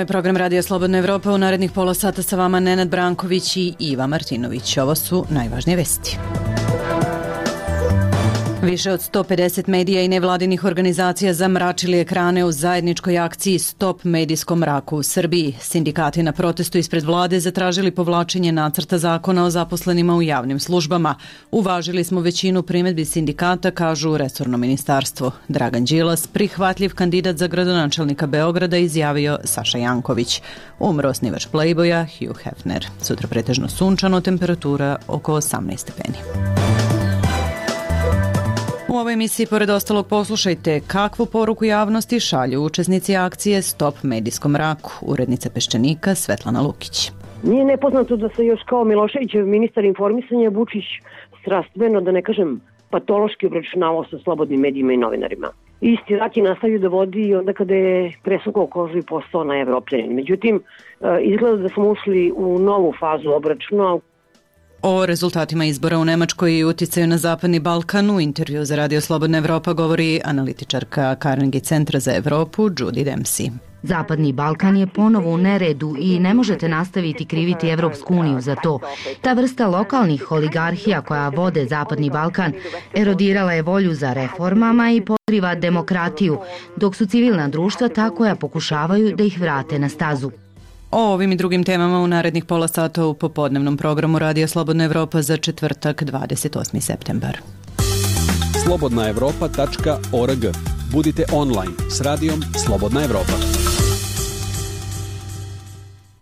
program Radio Slobodna Evropa. U narednih pola sata sa vama Nenad Branković i Iva Martinović. Ovo su najvažnije vesti. Više od 150 medija i nevladinih organizacija zamračili ekrane u zajedničkoj akciji Stop medijskom mraku u Srbiji. Sindikati na protestu ispred vlade zatražili povlačenje nacrta zakona o zaposlenima u javnim službama. Uvažili smo većinu primedbi sindikata, kažu u resorno ministarstvo. Dragan Đilas, prihvatljiv kandidat za gradonačelnika Beograda, izjavio Saša Janković. Umro osnivač Playboya Hugh Hefner. Sutra pretežno sunčano, temperatura oko 18 stepeni. U ovoj emisiji, pored ostalog, poslušajte kakvu poruku javnosti šalju učesnici akcije Stop medijskom mraku. Urednica Peščanika Svetlana Lukić. Nije nepoznato da se još kao Miloševićev ministar informisanja Vučić strastveno, da ne kažem patološki, obračunavao sa slobodnim medijima i novinarima. Isti rat je nastavio da vodi i onda kada je presukao kožu i postao na Evropljanin. Međutim, izgleda da smo ušli u novu fazu obračuna. O rezultatima izbora u Nemačkoj i uticaju na Zapadni Balkan u intervju za Radio Slobodna Evropa govori analitičarka Carnegie centra za Evropu Judy Dempsey. Zapadni Balkan je ponovo u neredu i ne možete nastaviti kriviti Evropsku uniju za to. Ta vrsta lokalnih oligarhija koja vode Zapadni Balkan erodirala je volju za reformama i podriva demokratiju, dok su civilna društva ta koja pokušavaju da ih vrate na stazu. O ovim i drugim temama u narednih pola sata u popodnevnom programu Radio Slobodna Evropa za četvrtak 28. septembar. slobodnaevropa.org. Budite online s radijom Slobodna Evropa.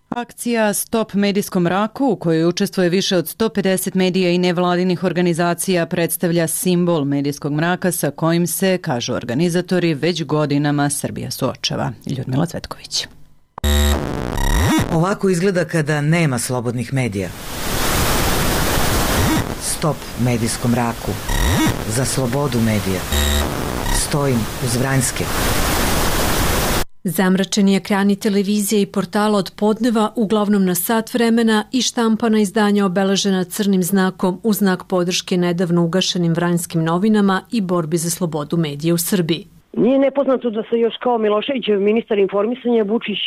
Akcija Stop medijskom mraku, u kojoj učestvuje više od 150 medija i nevladinih organizacija, predstavlja simbol medijskog mraka sa kojim se, kažu organizatori, već godinama Srbija suočava. Ljudmila Cvetković. Ovako izgleda kada nema slobodnih medija. Stop medijskom mraku. Za slobodu medija. Stojim uz Vranjske. Zamračeni ekrani televizije i portala od podneva, uglavnom na sat vremena, i štampana izdanja obeležena crnim znakom u znak podrške nedavno ugašenim Vranjskim novinama i borbi za slobodu medija u Srbiji. Nije nepoznato da se još kao Miloševićev ministar informisanja Vučić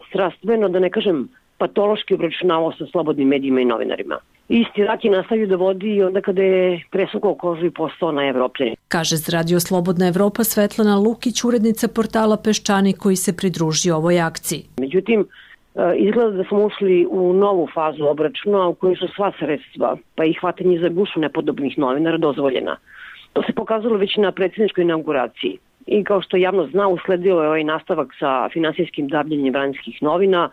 strastveno, da ne kažem patološki, obračunavao sa slobodnim medijima i novinarima. Isti rat je nastavio da vodi i onda kada je presukao kožu i postao na Evropljanin. Kaže za Radio Slobodna Evropa Svetlana Lukić, urednica portala Peščanik koji se pridružio ovoj akciji. Međutim, izgleda da smo ušli u novu fazu obračuna u kojoj su sva sredstva, pa i hvatanje za gušu nepodobnih novinara dozvoljena. To se pokazalo već na predsjedničkoj inauguraciji. I kao što javnost zna, usledio je ovaj nastavak sa finansijskim davljenjem Vranjskih novina,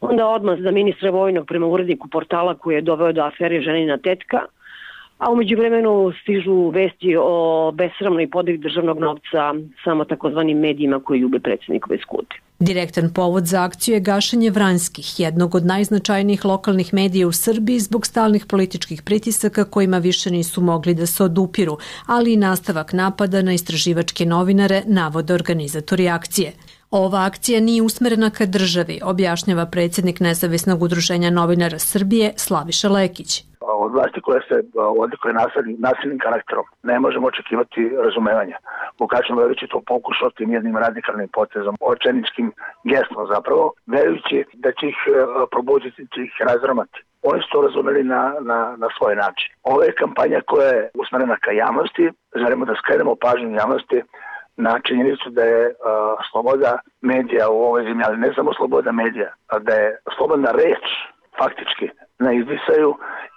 onda odmah za ministra vojnog prema uredniku portala koji je doveo do afere ženina tetka, a u međuvremenu stižu vesti o besramnoj podeli državnog novca samo takozvanim medijima koji ljube predsjednikove skute. Direktan povod za akciju je gašenje Vranjskih, jednog od najznačajnijih lokalnih medija u Srbiji, zbog stalnih političkih pritisaka kojima više nisu mogli da se odupiru, ali i nastavak napada na istraživačke novinare, navode organizatori akcije. Ova akcija nije usmerena ka državi, objašnjava predsjednik Nezavisnog udruženja novinara Srbije Slaviša Lekić. Od vlasti koja se odlikuje nasilnim karakterom ne možemo očekivati razumevanja. Vukašin Lević je to pokušao tim jednim radikalnim potezom, očajničkim gestom zapravo, verujući da će ih probuditi, će ih razramati. Oni su to razumeli na svoj način. Ovo je kampanja koja je usmerena ka javnosti, želimo da skrenemo pažnju javnosti na činjenicu da je sloboda medija u ovoj zemlji, ali ne samo sloboda medija, a da je slobodna reč faktički na izdisaju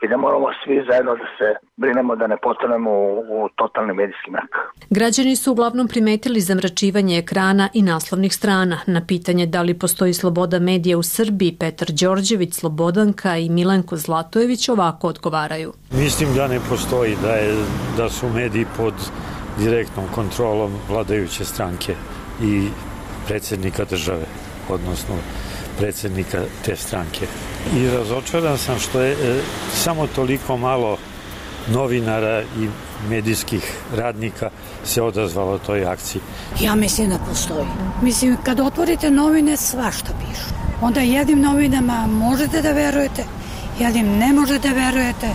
i da moramo svi zajedno da se brinemo da ne postanemo u totalni medijski mrak. Građani su uglavnom primetili zamračivanje ekrana i naslovnih strana. Na pitanje da li postoji sloboda medija u Srbiji, Petar Đorđević, Slobodanka i Milenko Zlatojević ovako odgovaraju. Mislim da ne postoji, da su mediji pod direktnom kontrolom vladajuće stranke i predsjednika države, odnosno predsjednika te stranke. I razočaran sam što je samo toliko malo novinara i medijskih radnika se odazvalo toj akciji. Ja mislim da postoji. Mislim, kad otvorite novine, svašta pišu. Onda jednim novinama možete da verujete, jednim ne možete da verujete.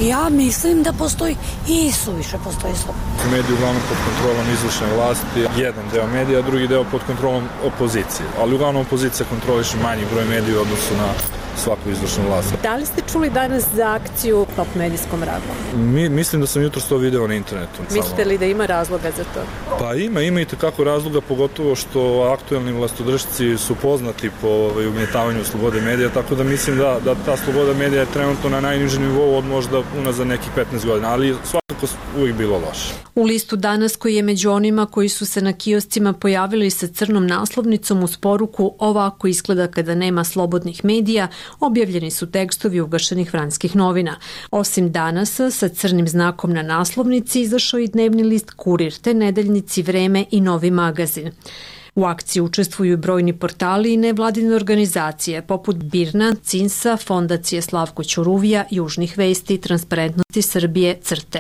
Ja mislim da postoji i suviše postoji sloboda. Mediji uglavnom pod kontrolom izvršne vlasti, jedan deo medija, drugi deo pod kontrolom opozicije. Ali uglavnom opozicija kontroliše manji broj medija u odnosu na svaku izvršnu vlast. Da li ste čuli danas za akciju Top medijskom mraku? Mislim da sam jutros to video na internetu. Mislite li da ima razloga za to? Pa ima i tekako razloga, pogotovo što aktuelni vlastodržci su poznati po ugnjetavanju slobode medija, tako da mislim da ta sloboda medija je trenutno na najnižem nivou od možda unazad nekih 15 godina, ali svakako uvijek bilo loše. U listu danas, koji je među onima koji su se na kioscima pojavili sa crnom naslovnicom uz poruku "Ovako izgleda kada nema slobodnih medija", objavljeni su tekstovi ugašenih vranjskih novina. Osim Danasa, sa crnim znakom na naslovnici izašao i dnevni list Kurir, te nedeljnici Vreme i Novi magazin. U akciji učestvuju i brojni portali i nevladine organizacije poput BIRN-a, CINS-a, Fondacije Slavko Ćuruvija, Južnih vesti, Transparentnosti Srbije, CRTE.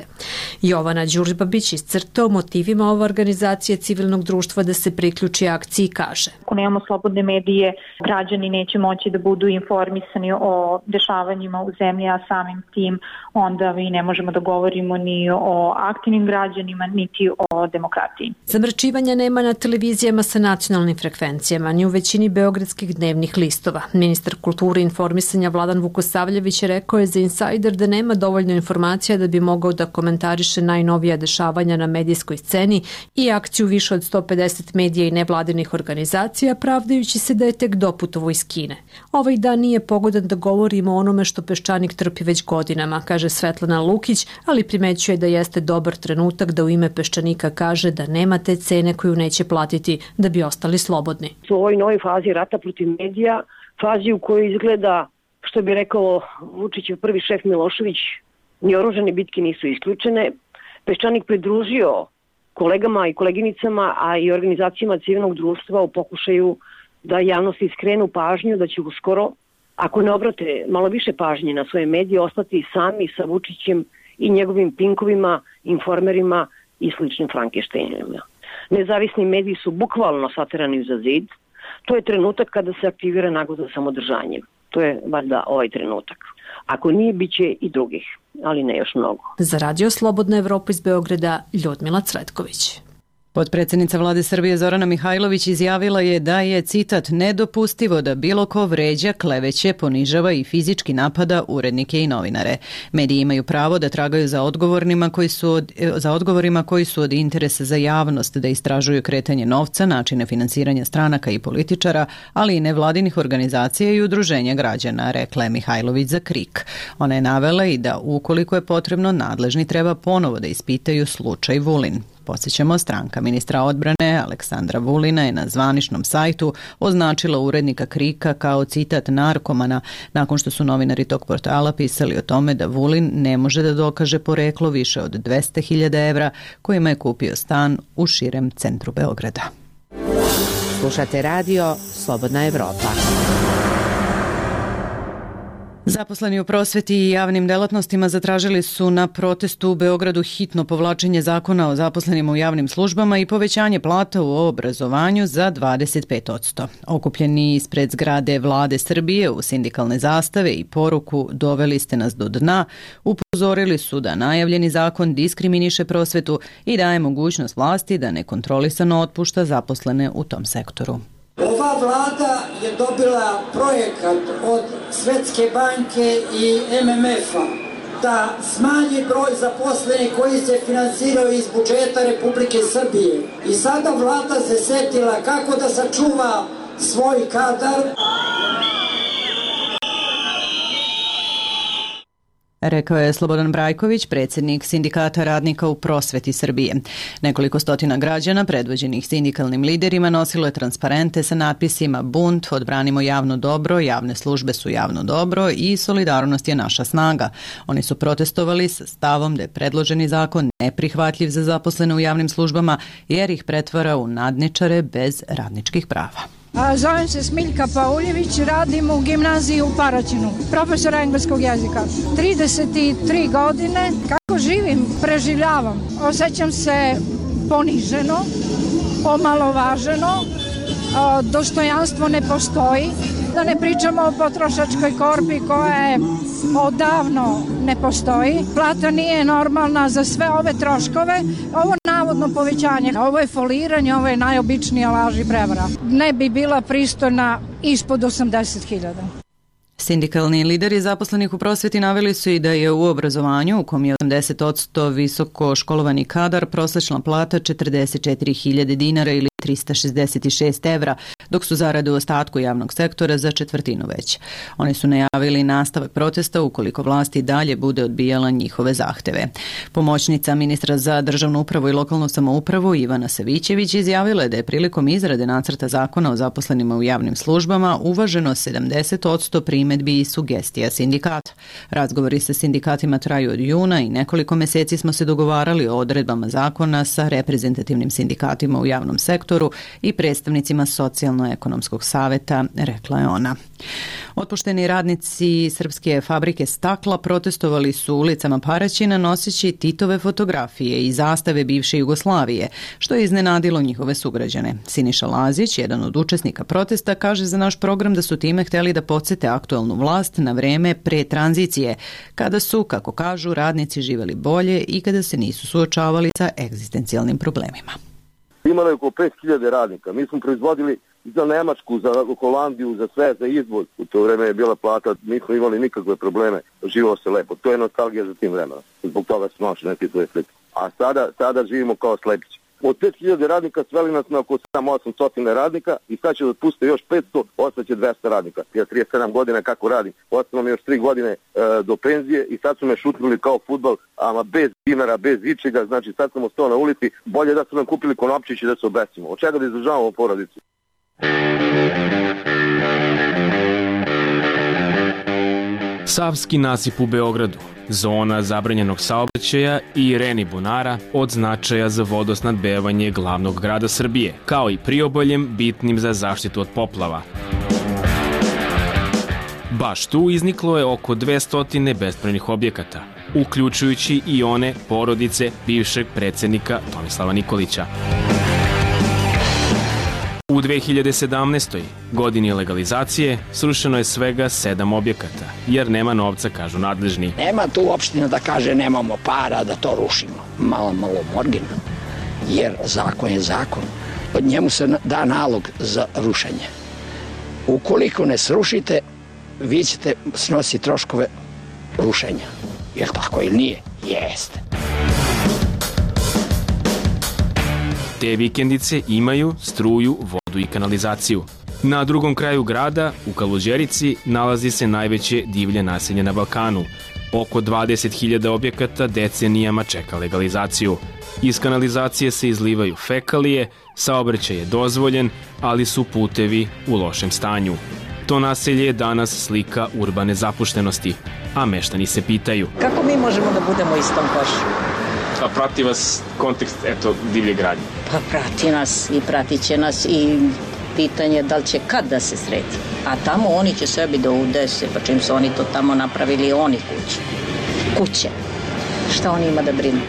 Jovana Đurđbabić iz CRTE o motivima ove organizacije civilnog društva da se priključi akciji kaže: Ako nemamo slobodne medije, građani neće moći da budu informisani o dešavanjima u zemlji, a samim tim onda mi ne možemo da govorimo ni o aktivnim građanima, niti o demokratiji. Zamračivanja nema na televizijama sa nacionalnim frekvencijama, ni u većini beogradskih dnevnih listova. Ministar kulture i informisanja Vladan Vukosavljević rekao je za Insider da nema dovoljno informacija da bi mogao da komentariše najnovija dešavanja na medijskoj sceni i akciju više od 150 medija i nevladinih organizacija, pravdajući se da je tek doputovo iz Kine. Ovaj dan nije pogodan da govorimo o onome što Peščanik trpi već godinama, kaže Svetlana Lukić, ali primećuje da jeste dobar trenutak da u ime Peščanika kaže da nema te cene koju neće platiti da bi ostali slobodni. U ovoj novoj fazi rata protiv medija, fazi u kojoj izgleda, što bi rekao Vučićev prvi šef Milošević, ni oružane bitke nisu isključene, Peščanik pridružio kolegama i koleginicama, a i organizacijama civilnog društva u pokušaju da javnosti skrenu pažnju da će uskoro, ako ne obrate malo više pažnje na svoje medije, ostati sami sa Vučićem i njegovim pinkovima, informerima i sličnim Frankensteinima. Nezavisni mediji su bukvalno saterani za zid. To je trenutak kada se aktivira nagoda za samodržanjem. To je valjda ovaj trenutak. Ako nije, bit će i drugih, ali ne još mnogo. Za Radio Slobodna Evropa iz Beograda, Ljudmila Cvetković. Potpredsjednica Vlade Srbije Zorana Mihajlović izjavila je da je, citat, nedopustivo da bilo ko vređa, kleveće, ponižava i fizički napada urednike i novinare. Mediji imaju pravo da tragaju za odgovorima koji su od interesa za javnost, da istražuju kretanje novca, načine finansiranja stranaka i političara, ali i nevladinih organizacija i udruženja građana, rekla je Mihajlović za KRIK. Ona je navela i da ukoliko je potrebno, nadležni treba ponovo da ispitaju slučaj Vulin. Podsjećamo, stranka ministra odbrane Aleksandra Vulina je na zvaničnom sajtu označila urednika KRIK-a kao, citat, narkomana, nakon što su novinari tog portala pisali o tome da Vulin ne može da dokaže poreklo više od 200.000 evra kojima je kupio stan u širem centru Beograda. Slušate radio Slobodna Evropa. Zaposleni u prosveti i javnim delatnostima zatražili su na protestu u Beogradu hitno povlačenje zakona o zaposlenima u javnim službama i povećanje plata u obrazovanju za 25%. Okupljeni ispred zgrade Vlade Srbije u sindikalne zastave i poruku "Doveli ste nas do dna", upozorili su da najavljeni zakon diskriminiše prosvetu i daje mogućnost vlasti da nekontrolisano otpušta zaposlene u tom sektoru. Ova vlada je dobila projekat od Svetske banke i MMF-a da smanji broj zaposlenih koji se finansiraju iz budžeta Republike Srbije. I sada vlada se setila kako da sačuva svoj kadar. Rekao je Slobodan Brajković, predsjednik Sindikata radnika u prosveti Srbije. Nekoliko stotina građana, predvođenih sindikalnim liderima, nosilo je transparente sa natpisima "Bunt, odbranimo javno dobro, javne službe su javno dobro" i "Solidarnost je naša snaga". Oni su protestovali sa stavom da je predloženi zakon neprihvatljiv za zaposlene u javnim službama jer ih pretvara u nadničare bez radničkih prava. Zovem se Smiljka Pauljević, radim u gimnaziji u Paraćinu, profesora engleskog jezika. 33 godine, kako živim, preživljavam. Osjećam se poniženo, omalovaženo, dostojanstvo ne postoji. Da ne pričamo o potrošačkoj korpi koja je odavno ne postoji. Plata nije normalna za sve ove troškove. Ovo navodno povećanje, ovo je foliranje, ovo je najobičnija laž i prevara. Ne bi bila pristojna ispod 80.000. Sindikalni lideri zaposlenih u prosveti naveli su i da je u obrazovanju, u kom je 80% visoko školovani kadar, prosječna plata 44.000 dinara ili 366 evra, dok su zarade u ostatku javnog sektora za četvrtinu veće. Oni su najavili nastavak protesta ukoliko vlast i dalje bude odbijala njihove zahteve. Pomoćnica ministra za državnu upravu i lokalnu samoupravu Ivana Savićević izjavila je da je prilikom izrade nacrta zakona o zaposlenima u javnim službama uvaženo 70% primedbi i sugestija sindikata. Razgovori sa sindikatima traju od juna i nekoliko meseci smo se dogovarali o odredbama zakona sa reprezentativnim sindikatima u javnom sektoru i predstavnicima Socijalno-ekonomskog saveta, rekla je ona. Otpušteni radnici Srpske fabrike stakla protestovali su ulicama Paraćina noseći Titove fotografije i zastave bivše Jugoslavije, što je iznenadilo njihove sugrađane. Siniša Lazić, jedan od učesnika protesta, kaže za naš program da su time hteli da podsete aktuelnu vlast na vreme pre tranzicije, kada su, kako kažu, radnici živeli bolje i kada se nisu suočavali sa egzistencijalnim problemima. Imalo je oko 5.000 radnika. Mi smo proizvodili za Nemačku, za Holandiju, za sve, za izvoz. U to vreme je bila plata, nismo imali nikakve probleme. Živalo se lepo. To je nostalgija za tim vremenom. Zbog toga su naše neke svoje slike. A sada živimo kao slepići. Od 5.000 radnika sveli nas na oko 700-800 radnika i sad će da otpuste još 500, ostaće 200 radnika. Ja 37 godina kako radim, ostalo mi još 3 godine do penzije i sad su me šutnuli kao fudbal, ama bez dinara, bez ičega, znači sad sam ostao na ulici, bolje da su nam kupili konopčić i da se obesimo. Od čega da izdržavamo porodicu? Savski nasip u Beogradu, zona zabranjenog saobraćaja i Reni bunara od značaja za vodosnadbevanje glavnog grada Srbije, kao i priobaljem bitnim za zaštitu od poplava. Baš tu izniklo je oko 200 bespravnih objekata, uključujući i one porodice bivšeg predsjednika Tomislava Nikolića. U 2017. godini legalizacije srušeno je svega 7 objekata, jer nema novca, kažu nadležni. Nema tu opština da kaže nemamo para da to rušimo. Malo morgina, jer zakon je zakon. Od njemu se da nalog za rušenje. Ukoliko ne srušite, vi ćete snositi troškove rušenja. Je li tako ili nije? Jeste. Te vikendice imaju struju, vodu i kanalizaciju. Na drugom kraju grada, u Kaluđerici, nalazi se najveće divlje naselje na Balkanu. Oko 20.000 objekata decenijama čeka legalizaciju. Iz kanalizacije se izlivaju fekalije, saobraćaj je dozvoljen, ali su putevi u lošem stanju. To naselje je danas slika urbane zapuštenosti, a meštani se pitaju: kako mi možemo da budemo u istom košu? A prati vas kontekst, divlje gradnje? Pa prati nas i pratit će nas i pitanje da li će kad da se sredi. A tamo oni će sebi da udese, pa čim su oni to tamo napravili, oni kuće. Šta oni ima da brinu?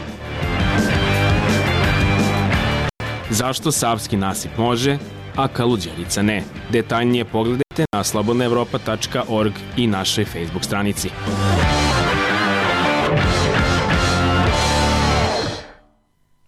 Zašto Savski nasip može, a Kaluđerica ne? Detaljnije pogledajte na slobodnaevropa.org i našoj Facebook stranici.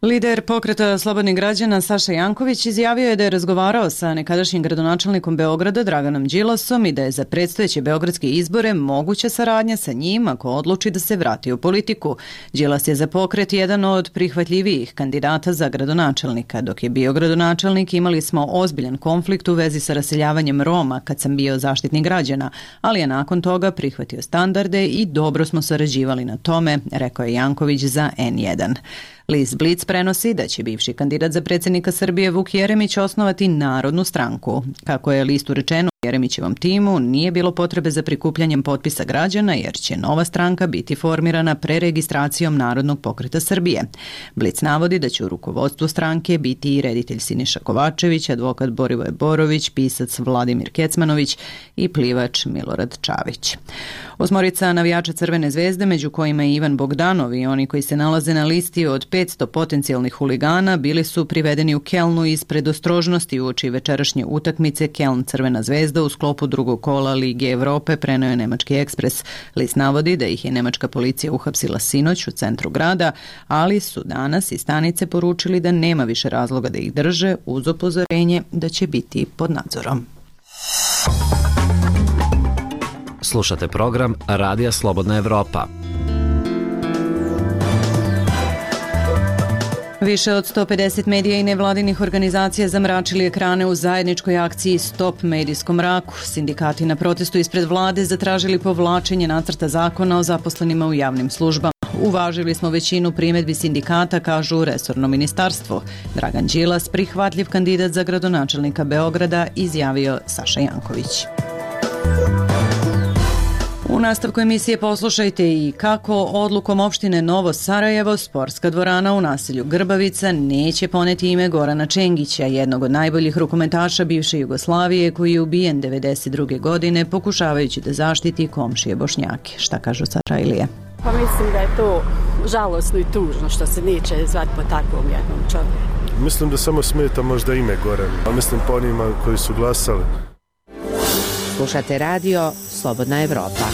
Lider pokreta slobodnih građana Saša Janković izjavio je da je razgovarao sa nekadašnjim gradonačelnikom Beograda Draganom Đilasom i da je za predstojeće beogradske izbore moguća saradnja sa njim ako odluči da se vrati u politiku. Đilas je za pokret jedan od prihvatljivijih kandidata za gradonačelnika. Dok je bio gradonačelnik imali smo ozbiljan konflikt u vezi sa raseljavanjem Roma kad sam bio zaštitnik građana, ali je nakon toga prihvatio standarde i dobro smo sarađivali na tome, rekao je Janković za N1. List Blic prenosi da će bivši kandidat za predsjednika Srbije Vuk Jeremić osnovati Narodnu stranku. Kako je listu rečeno, u Jeremićevom timu nije bilo potrebe za prikupljanjem potpisa građana jer će nova stranka biti formirana preregistracijom Narodnog pokreta Srbije. Blic navodi da će u rukovodstvu stranke biti i reditelj Siniša Kovačević, advokat Borivoje Borović, pisac Vladimir Kecmanović i plivač Milorad Čavić. Osmorica navijača Crvene zvezde, među kojima je Ivan Bogdanov i oni koji se nalaze na listi od 500 potencijalnih huligana, bili su privedeni u Kelnu iz predostrožnosti uoči večerašnje utakmice Keln Crvena zvezda Zvezda u sklopu drugog kola Lige Evrope, preneo je nemački Ekspres. List navodi da ih je nemačka policija uhapsila sinoć u centru grada, ali su danas iz stanice poručili da nema više razloga da ih drže, uz upozorenje da će biti pod nadzorom. Slušate program Radija Slobodna Evropa. Više od 150 medija i nevladinih organizacija zamračili ekrane u zajedničkoj akciji Stop medijskom mraku. Sindikati na protestu ispred vlade zatražili povlačenje nacrta zakona o zaposlenima u javnim službama. Uvažili smo većinu primjedbi sindikata, kažu resorno ministarstvo. Dragan Đilas, prihvatljiv kandidat za gradonačelnika Beograda, izjavio Saša Janković. U nastavku emisije poslušajte i kako odlukom opštine Novo Sarajevo sportska dvorana u naselju Grbavica neće poneti ime Gorana Čengića, jednog od najboljih rukometaša bivše Jugoslavije koji je ubijen 1992. godine pokušavajući da zaštiti komšije Bošnjake. Šta kažu Sarajlije? Pa mislim da je to žalosno i tužno što se neće zvati po takvom jednom čovjeku. Mislim da samo smeta možda ime Goran, a mislim po onima koji su glasali. Slušate radio Slobodna Evropa.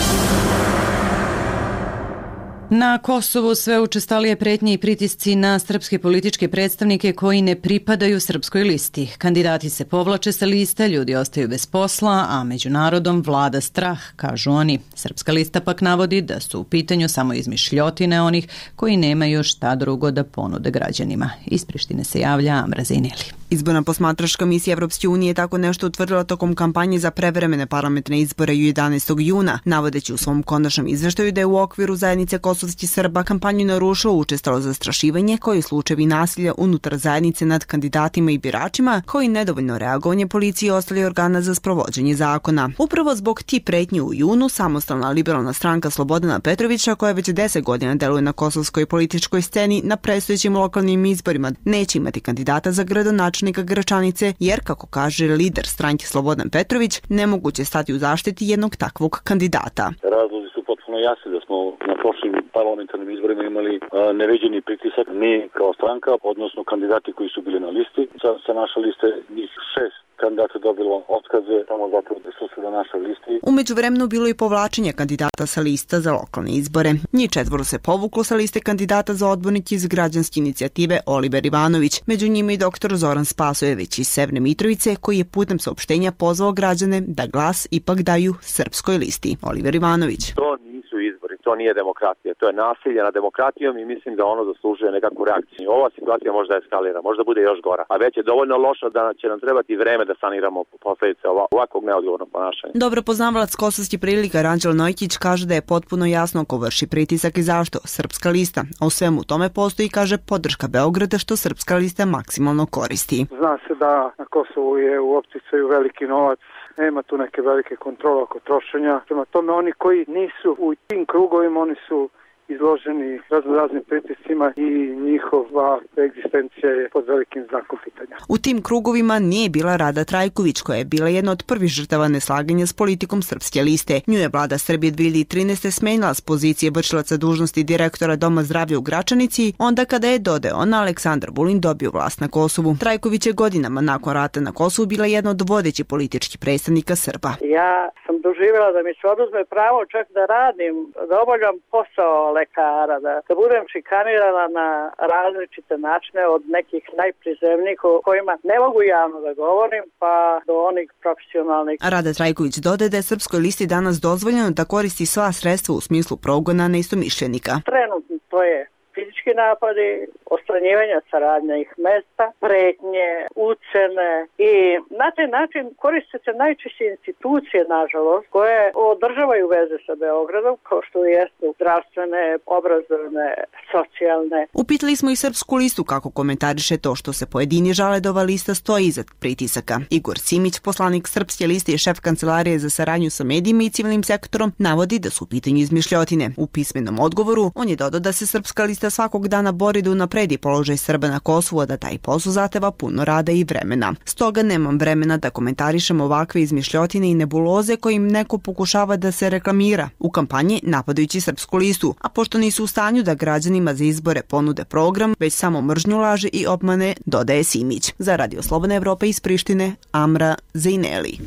Na Kosovu sve učestalije pretnje i pritisci na srpske političke predstavnike koji ne pripadaju srpskoj listi. Kandidati se povlače sa liste, ljudi ostaju bez posla, a među narodom vlada strah, kažu oni. Srpska lista pak navodi da su u pitanju samo izmišljotine onih koji nemaju šta drugo da ponude građanima. Iz Prištine se javlja Amra Zejneli. Izborna posmatračka misija Evropske unije je tako nešto utvrdila tokom kampanje za prevremene parlamentarne izbore 11. juna, navodeći u svom konačnom izveštaju da je u okviru zajednice kosovskih Srba kampanju narušilo učestalo zastrašivanje, koji slučajevi nasilja unutar zajednice nad kandidatima i biračima, koji nedovoljno reagovanje policije i ostali organa za sprovođenje zakona. Upravo zbog ti pretnji u junu, samostalna liberalna stranka Slobodana Petrovića, koja već 10 godina deluje na kosovskoj političkoj sceni, na predstojećim lokalnim izborima neće imati kandidata za gradonačelnika Gračanice, jer, kako kaže lider stranke Slobodan Petrović, nemoguće stati u zaštiti jednog takvog kandidata. Razlozi su potpuno jasni da smo na prošlim parlamentarnim izborima imali neviđeni pritisak, mi kao stranka, odnosno kandidati koji su bili na listi. Sa naše liste njih 6 kandidata dobilo otkaze samo zato da su se na našoj listi. U međuvremenu bilo i povlačenje kandidata sa lista za lokalne izbore. Njih 4 se povuklo sa liste kandidata za odbornike iz građanske inicijative Oliver Ivanović. Među njima i dr. Zoran Spasojević iz Severne Mitrovice, koji je putem saopštenja pozvao građane da glas ipak daju srpskoj listi. Oliver Ivanović. To nisu izbori, to nije demokratija, to je nasilje nad demokratijom i mislim da ono zaslužuje nekakvu reakciju. Ova situacija možda eskalira, možda bude još gora, a već je dovoljno loša da će nam trebati vreme da saniramo posljedice ovakvog neodgovornog ponašanja. Dobro poznavalac kosovskih prilika Ranđel Nojkić kaže da je potpuno jasno ko vrši pritisak i zašto srpska lista, a u svemu tome postoji, kaže, podrška Beograda što srpska lista maksimalno koristi. Zna se da na Kosovu je u opticaju veliki novac, nema tu neke velike kontrole oko trošenja. Prema tome, oni koji nisu u tim krugovima, oni su izloženi raznim pritiscima i njihova egzistencija je pod velikim znakom pitanja. U tim krugovima nije bila Rada Trajković, koja je bila jedna od prvih žrtava neslaganja s politikom srpske liste. Nju je vlada Srbije 2013. smenila s pozicije vršilaca dužnosti direktora Doma zdravlja u Gračanici, onda kada je dodeon Aleksandar Vulin dobio vlast na Kosovu. Trajković je godinama nakon rata na Kosovu bila jedna od vodećih političkih predstavnika Srba. Ja sam doživjela da mi se oduzme pravo čak da radim, da obavljam posao lekara, da budem šikanirana na različite načine od nekih najprizemnijih o kojima ne mogu javno da govorim, pa do onih profesionalnih. Rada Trajković dodaje da je srpskoj listi danas dozvoljeno da koristi sva sredstva u smislu progona neistomišljenika. Trenutno to je fizički napadi, odstranjivanje sa radnih mesta, pretnje, ucene i na taj način koriste se najčešće institucije, nažalost, koje održavaju veze sa Beogradom, kao što jesu zdravstvene, obrazovne, socijalne. Upitali smo i srpsku listu kako komentariše to što se pojedini žale da ova lista stoji iza pritisaka. Igor Simić, poslanik srpske liste i šef kancelarije za saradnju sa medijima i civilnim sektorom, navodi da su u pitanju izmišljotine. U pismenom odgovoru on je dodao da se srpska lista svakog dana bori da unapredi položaj Srba na Kosovu, a da taj posao zahteva puno rada i vremena. Stoga nemam vremena da komentarišem ovakve izmišljotine i nebuloze kojim neko pokušava da se reklamira u kampanji napadajući srpsku listu, a pošto nisu u stanju da građanima za izbore ponude program, već samo mržnju, laže i obmane, dodaje Simić. Za Radio Slobodna Evropa iz Prištine, Amra Zejneli.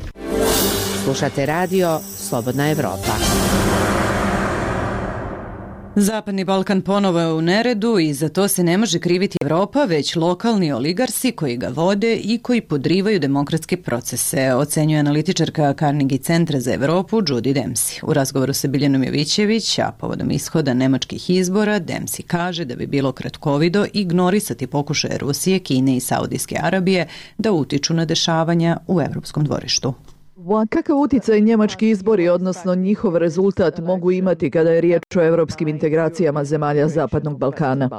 Slušate radio Slobodna Evropa. Zapadni Balkan ponovo je u neredu i za to se ne može kriviti Evropa, već lokalni oligarsi koji ga vode i koji podrivaju demokratske procese, ocenjuje analitičarka Carnegie centra za Evropu Judy Dempsey. U razgovoru sa Biljanom Jovićević, a povodom ishoda nemačkih izbora, Dempsey kaže da bi bilo kratkovido ignorisati pokušaje Rusije, Kine i Saudijske Arabije da utiču na dešavanja u evropskom dvorištu. Kakav uticaj njemački izbori, odnosno njihov rezultat, mogu imati kada je riječ o evropskim integracijama zemalja Zapadnog Balkana?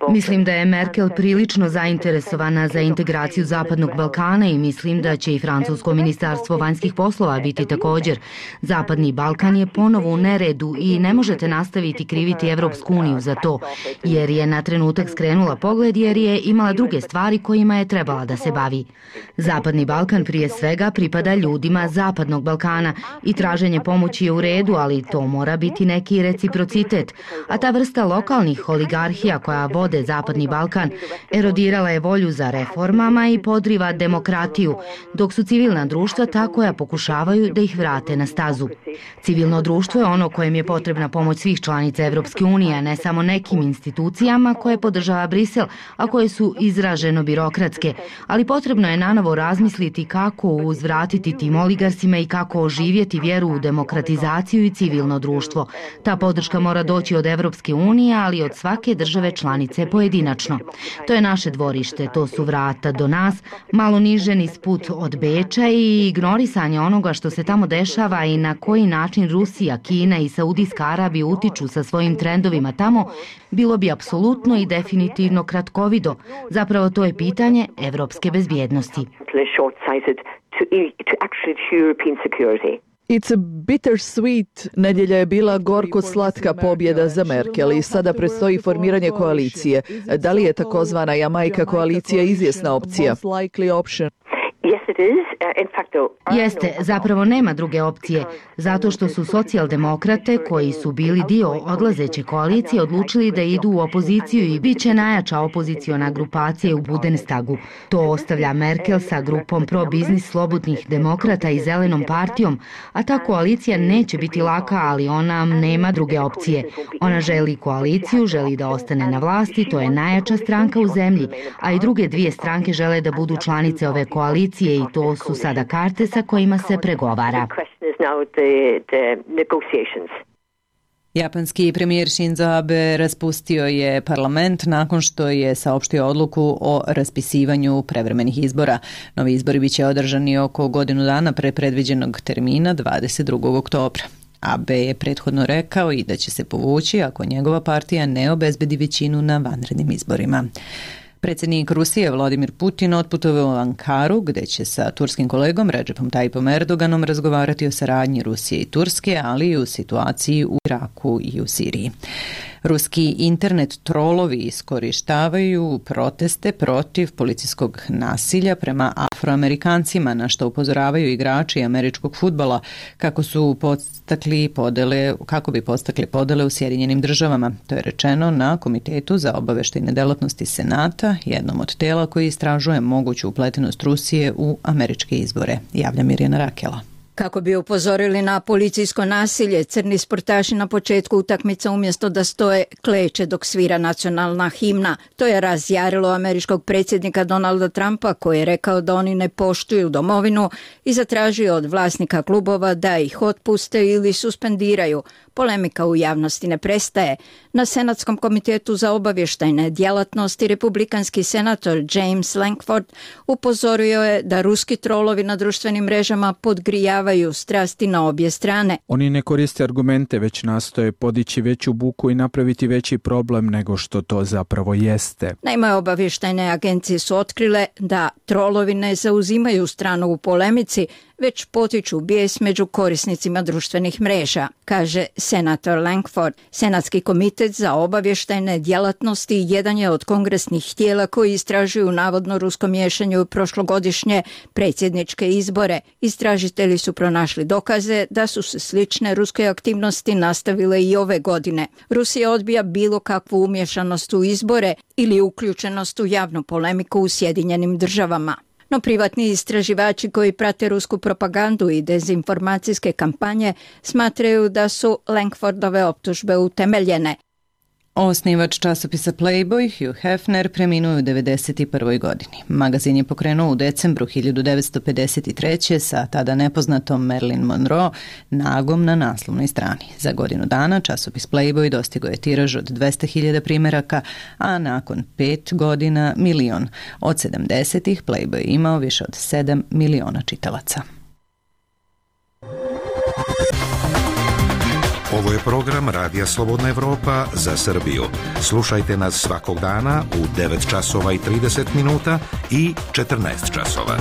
Mislim da je Merkel prilično zainteresovana za integraciju Zapadnog Balkana i mislim da će i francusko ministarstvo vanjskih poslova biti također. Zapadni Balkan je ponovo u neredu i ne možete nastaviti kriviti Evropsku uniju za to, jer je na trenutak skrenula pogled jer je imala druge stvari kojima je trebala da se bavi. Zapadni Balkan prije svega pripada ljudima Zapadnog Balkana i traženje pomoći je u redu, ali to mora biti neki reciprocitet. A ta vrsta lokalnih oligarhija koja vode Zapadni Balkan erodirala je volju za reformama i podriva demokratiju, dok su civilna društva ta koja pokušavaju da ih vrate na stazu. Civilno društvo je ono kojem je potrebna pomoć svih članica Evropske unije, a ne samo nekim institucijama koje podržava Brisel, a koje su izraženo birokratske, ali potrebno je nanovo razmisliti kako uzvratiti tim oligarsima i kako oživjeti vjeru u demokratizaciju i civilno društvo. Ta podrška mora doći od Evropske unije, ali i od svake države članice pojedinačno. To je naše dvorište, to su vrata do nas, malo niže niz put od Beča i ignorisanje onoga što se tamo dešava i na koji način Rusija, Kina i Saudijska Arabija utiču sa svojim trendovima tamo, bilo bi apsolutno i definitivno kratkovido. Zapravo to je pitanje evropske bezbjednosti. It's a bittersweet. Nedjelja je bila gorko-slatka pobjeda za Merkel i sada predstoji formiranje koalicije. Da li je takozvana Jamajka koalicija izvjesna opcija? Jeste, zapravo nema druge opcije, zato što su socijaldemokrate koji su bili dio odlazeće koalicije odlučili da idu u opoziciju i bit će najjača opoziciona grupacija u Bundestagu. To ostavlja Merkel sa grupom pro-biznis slobodnih demokrata i zelenom partijom, a ta koalicija neće biti laka, ali ona nema druge opcije. Ona želi koaliciju, želi da ostane na vlasti, to je najjača stranka u zemlji, a i druge dvije stranke žele da budu članice ove koalicije i to su sada karte sa kojima se pregovara. Japanski premijer Shinzo Abe raspustio je parlament nakon što je saopštio odluku o raspisivanju prevremenih izbora. Novi izbori biće održani oko godinu dana pre predviđenog termina 22. oktobra. Abe je prethodno rekao i da će se povući ako njegova partija ne obezbedi većinu na vanrednim izborima. Predsjednik Rusije Vladimir Putin otputovao u Ankaru, gdje će sa turskim kolegom Recepom Tayyipom Erdoganom razgovarati o saradnji Rusije i Turske, ali i u situaciji u Iraku i u Siriji. Ruski internet trolovi iskorištavaju proteste protiv policijskog nasilja prema Afroamerikancima, na što upozoravaju igrači američkog fudbala kako bi podstakli podele u Sjedinjenim Državama. To je rečeno na Komitetu za obavještajne delatnosti Senata, jednom od tela koji istražuje moguću upletenost Rusije u američke izbore, javlja Mirjana Rakela. Kako bi upozorili na policijsko nasilje, crni sportaši na početku utakmica umjesto da stoje kleče dok svira nacionalna himna. To je razjarilo američkog predsjednika Donalda Trumpa koji je rekao da oni ne poštuju domovinu i zatražio od vlasnika klubova da ih otpuste ili suspendiraju. Polemika u javnosti ne prestaje. Na Senatskom komitetu za obavještajne djelatnosti republikanski senator James Lankford upozorio je da ruski trolovi na društvenim mrežama podgrijavaju strasti na obje strane. Oni ne koriste argumente, već nastoje podići veću buku i napraviti veći problem nego što to zapravo jeste. Naime, obavještajne agencije su otkrile da trolovi ne zauzimaju stranu u polemici, već potiču bijes među korisnicima društvenih mreža, kaže senator Lankford. Senatski komitet za obavještajne djelatnosti jedan je od kongresnih tijela koji istražuju navodno rusko miješanje u prošlogodišnje predsjedničke izbore. Istražitelji su pronašli dokaze da su se slične ruske aktivnosti nastavile i ove godine. Rusija odbija bilo kakvu umješanost u izbore ili uključenost u javnu polemiku u Sjedinjenim Državama. No privatni istraživači koji prate rusku propagandu i dezinformacijske kampanje smatraju da su Langfordove optužbe utemeljene. Osnivač časopisa Playboy, Hugh Hefner, preminuo u 91. godini. Magazin je pokrenuo u decembru 1953. sa tada nepoznatom Marilyn Monroe nagom na naslovnoj strani. Za godinu dana časopis Playboy dostigao je tiraž od 200.000 primjeraka, a nakon 5 godina 1 milion. Od 70-ih Playboy je imao više od 7 miliona čitalaca. Ovo je program Radija Slobodna Evropa za Srbiju. Slušajte nas svakog dana u 9 časova i 30 minuta i 14 časova.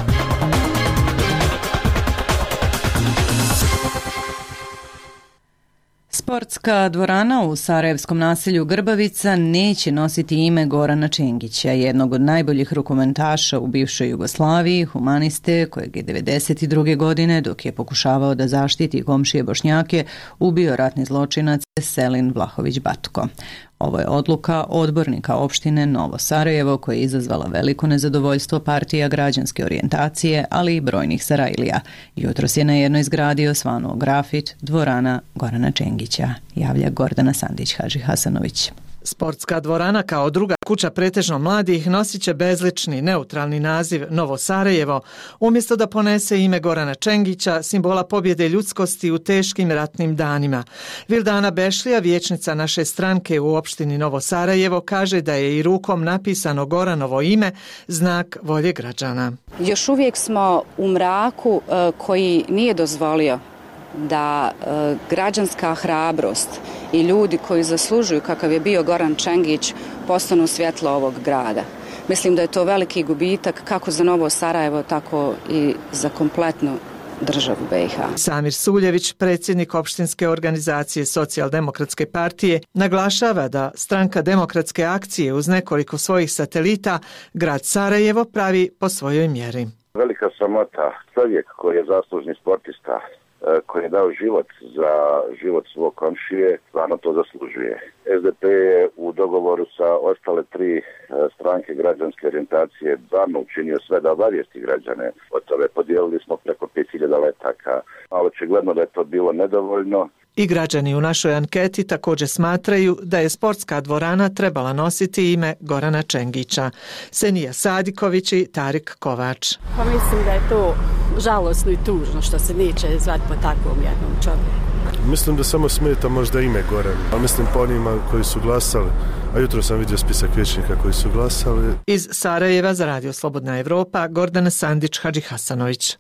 Sportska dvorana u sarajevskom naselju Grbavica neće nositi ime Gorana Čengića, jednog od najboljih rukometaša u bivšoj Jugoslaviji, humaniste kojeg je 1992. godine, dok je pokušavao da zaštiti komšije Bošnjake, ubio ratni zločinac Selin Vlahović Batko. Ovo je odluka odbornika opštine Novo Sarajevo koja je izazvala veliko nezadovoljstvo partija građanske orijentacije, ali i brojnih Sarajlija. Jutros je na jednoj zgradi osvanuo grafit Dvorana Gorana Čengića, javlja Gordana Sandić Hasanović. Sportska dvorana kao druga kuća pretežno mladih nosit će bezlični, neutralni naziv Novo Sarajevo, umjesto da ponese ime Gorana Čengića, simbola pobjede ljudskosti u teškim ratnim danima. Vildana Bešlija, vijećnica naše stranke u opštini Novo Sarajevo, kaže da je i rukom napisano Goranovo ime znak volje građana. Još uvijek smo u mraku koji nije dozvolio da građanska hrabrost i ljudi koji zaslužuju kakav je bio Goran Čengić postanu svjetlo ovog grada. Mislim da je to veliki gubitak kako za Novo Sarajevo, tako i za kompletnu državu BiH. Samir Suljević, predsjednik opštinske organizacije Socijaldemokratske partije, naglašava da stranka Demokratske akcije uz nekoliko svojih satelita grad Sarajevo pravi po svojoj mjeri. Velika sramota, čovjek koji je zaslužni sportista, koji je dao život za život svog komšije, stvarno to zaslužuje. SDP je u dogovoru sa ostale 3 stranke građanske orijentacije stvarno učinio sve da obavijesti građane o tome. Podijelili smo preko 5000 letaka, ali očigledno da je to bilo nedovoljno. I građani u našoj anketi također smatraju da je sportska dvorana trebala nositi ime Gorana Čengića. Senija Sadiković i Tarik Kovač. Pa mislim da je to žalosno i tužno što se neće zvati po takvom jednom čovjeku. Mislim da samo smeta možda ime Goran, a mislim po onima koji su glasali, a jutro sam vidio spisak vijećnika koji su glasali. Iz Sarajeva za Radio Slobodna Evropa, Gordana Sandić Hasanović.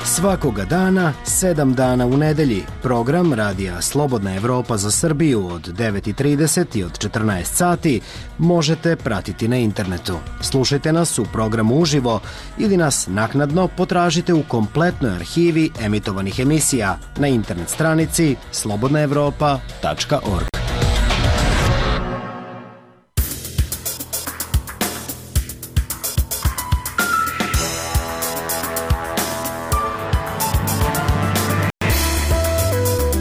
Svakoga dana, 7 dana u nedelji, program Radija Slobodna Evropa za Srbiju od 9:30 i od 14 sati možete pratiti na internetu. Slušajte nas u programu uživo ili nas naknadno potražite u kompletnoj arhivi emitovanih emisija na internet stranici slobodnaevropa.org.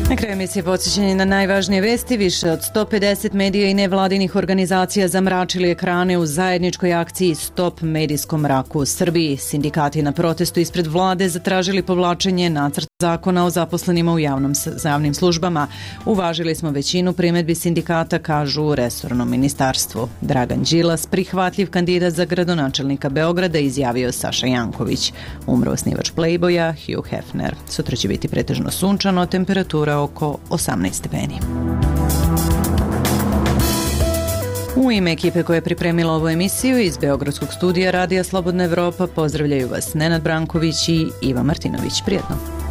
Na kraju emisije podsjećanje na najvažnije vesti. Više od 150 medija i nevladinih organizacija zamračili ekrane u zajedničkoj akciji Stop medijskom mraku u Srbiji. Sindikati na protestu ispred vlade zatražili povlačenje nacrta zakona o zaposlenima u javnim službama. Uvažili smo većinu primjedbi sindikata, kažu u resornom ministarstvu. Dragan Đilas, prihvatljiv kandidat za gradonačelnika Beograda, izjavio Saša Janković. Umro osnivač Playboya, Hugh Hefner. Sutra će biti pretežno sunčano, temperatura oko 18 stepeni. U ime ekipe koja je pripremila ovu emisiju iz Beogradskog studija Radija Slobodna Evropa pozdravljaju vas Nenad Branković i Iva Martinović. Prijetno!